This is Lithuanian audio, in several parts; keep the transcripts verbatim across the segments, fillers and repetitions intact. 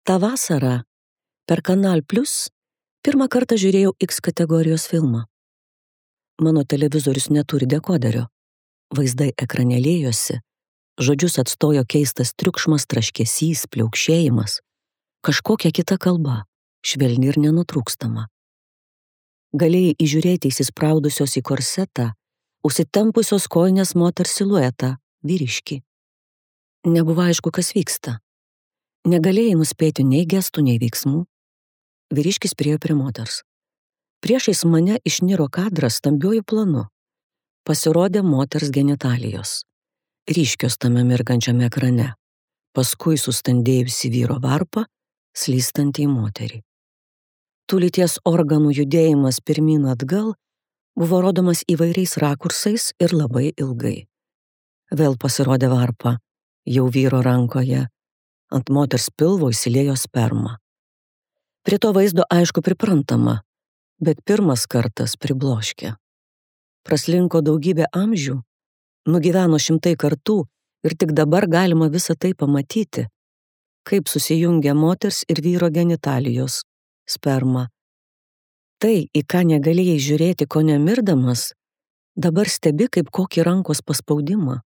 Ta vasarą per Kanal Plus pirmą kartą žiūrėjau X kategorijos filmą. Mano televizorius neturi dekoderio. Vaizdai ekranėlėjosi, žodžius atstojo keistas triukšmas, traškesys, pliaukšėjimas, kažkokia kita kalba, švelni ir nenutrūkstama. Galėjai įžiūrėti įsispraudusios į korsetą, užsitempusios kojinės moters siluetą, vyriškį. Nebuvo aišku, kas vyksta. Negalėjai nuspėti nei gestų, nei veiksmų. Vyriškis priėjo prie moters. Priešais mane išniro kadras stambiuoju planu. Pasirodė moters genitalijos. Ryškios tame mirgančiame ekrane. Paskui sustandėjusi vyro varpą, slystantį į moterį. Tų lyties organų judėjimas pirmyn atgal buvo rodomas įvairiais rakursais ir labai ilgai. Vėl pasirodė varpa, jau vyro rankoje. Ant moters pilvo įsiliejo sperma. Prie to vaizdo aišku priprantama, bet pirmas kartas pribloškė. Praslinko daugybė amžių, nugyveno šimtai kartų ir tik dabar galima visą tai pamatyti, kaip susijungia moters ir vyro genitalijos, sperma. Tai, į ką negalėjai žiūrėti, ko nemirdamas, dabar stebi kaip kokį rankos paspaudimą.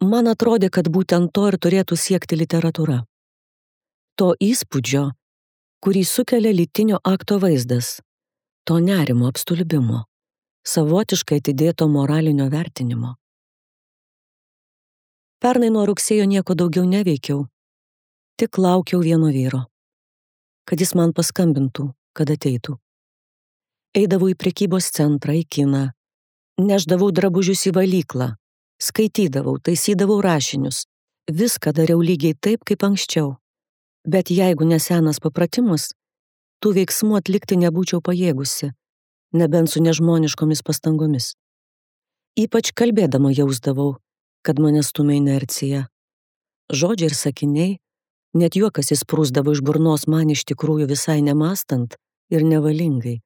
Man atrodė, kad būtent to ir turėtų siekti literatūra. To įspūdžio, kurį sukelia lytinio akto vaizdas, to nerimo apstulbimo, savotiškai atidėto moralinio vertinimo. Pernai nuo rugsėjo nieko daugiau neveikiau, tik laukiau vieno vyro, kad jis man paskambintų, kad ateitų. Eidavau į prekybos centrą, į kiną, nešdavau drabužius į valyklą, skaitydavau, taisydavau rašinius, viską dariau lygiai taip, kaip anksčiau. Bet jeigu nesenas papratimas, tų veiksmų atlikti nebūčiau pajėgusi, nebent su nežmoniškomis pastangomis. Ypač kalbėdama jausdavau, kad mane stumia inercija. Žodžiai ir sakiniai, net juokas įsprūsdavo iš burnos man iš tikrųjų visai nemastant ir nevalingai.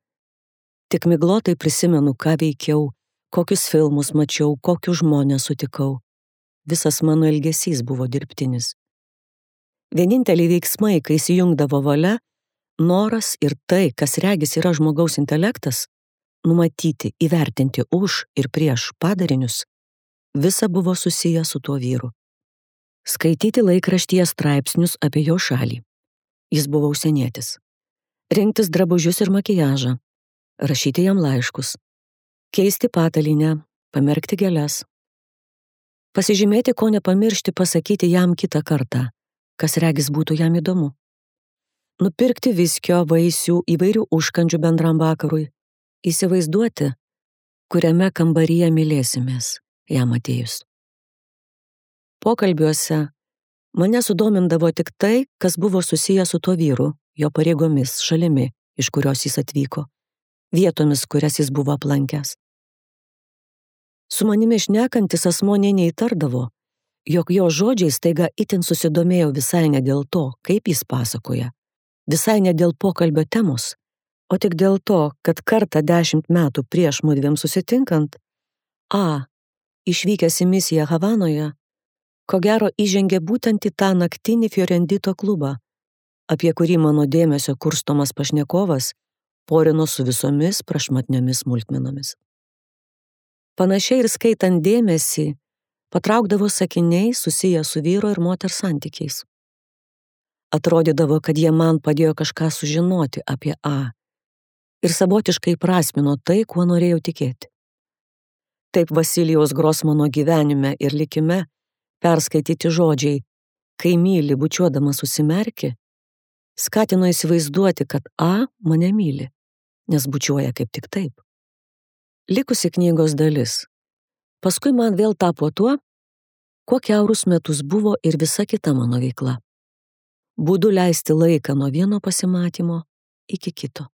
Tik miglotai prisimenu, ką veikiau, kokius filmus mačiau, kokius žmonės sutikau. Visas mano elgesys buvo dirbtinis. Vieninteliai veiksmai, kai įsijungdavo valia, noras ir tai, kas regis yra žmogaus intelektas, numatyti, įvertinti už ir prieš padarinius, visa buvo susiję su tuo vyru. Skaityti laikraštyje straipsnius apie jo šalį. Jis buvo užsienietis. Rinktis drabužius ir makiažą. Rašyti jam laiškus. Keisti patalynę, pamerkti gėles. Pasižymėti, ko nepamiršti pasakyti jam kitą kartą, kas regis būtų jam įdomu. Nupirkti viskio, vaisių, įvairių užkandžių bendram vakarui. Įsivaizduoti, kuriame kambaryje mylėsimės, jam atėjus. Pokalbiuose mane sudomindavo tik tai, kas buvo susijęs su tuo vyru, jo pareigomis, šalimi, iš kurios jis atvyko, vietomis, kurias jis buvo aplankęs. Su manimi šnekantis asmuo nė neįtardavo, jog jo žodžiai staiga itin susidomėjo visai ne dėl to, kaip jis pasakoja, visai ne dėl pokalbio temos, o tik dėl to, kad kartą dešimt metų prieš mudviem susitinkant, A, išvykęs į misiją Havanoje, ko gero įžengė būtent į tą naktinį Fiorendito klubą, apie kurį mano dėmesio kurstomas pašnekovas porino su visomis prašmatniomis smulkmenomis. Panašiai ir skaitant dėmesį, patraukdavo sakiniai susiję su vyro ir moters santykiais. Atrodydavo, kad jie man padėjo kažką sužinoti apie A ir savotiškai prasmino tai, kuo norėjau tikėti. Taip Vasilijaus Grosmano gyvenime ir likime perskaityti žodžiai, kai myli bučiuodamas užsimerki, skatino įsivaizduoti, kad A mane myli, nes bučiuoja kaip tik taip. Likusi knygos dalis. Paskui man vėl tapo tuo, kuo kiaurus metus buvo ir visa kita mano veikla. Būdu leisti laiką nuo vieno pasimatymo iki kito.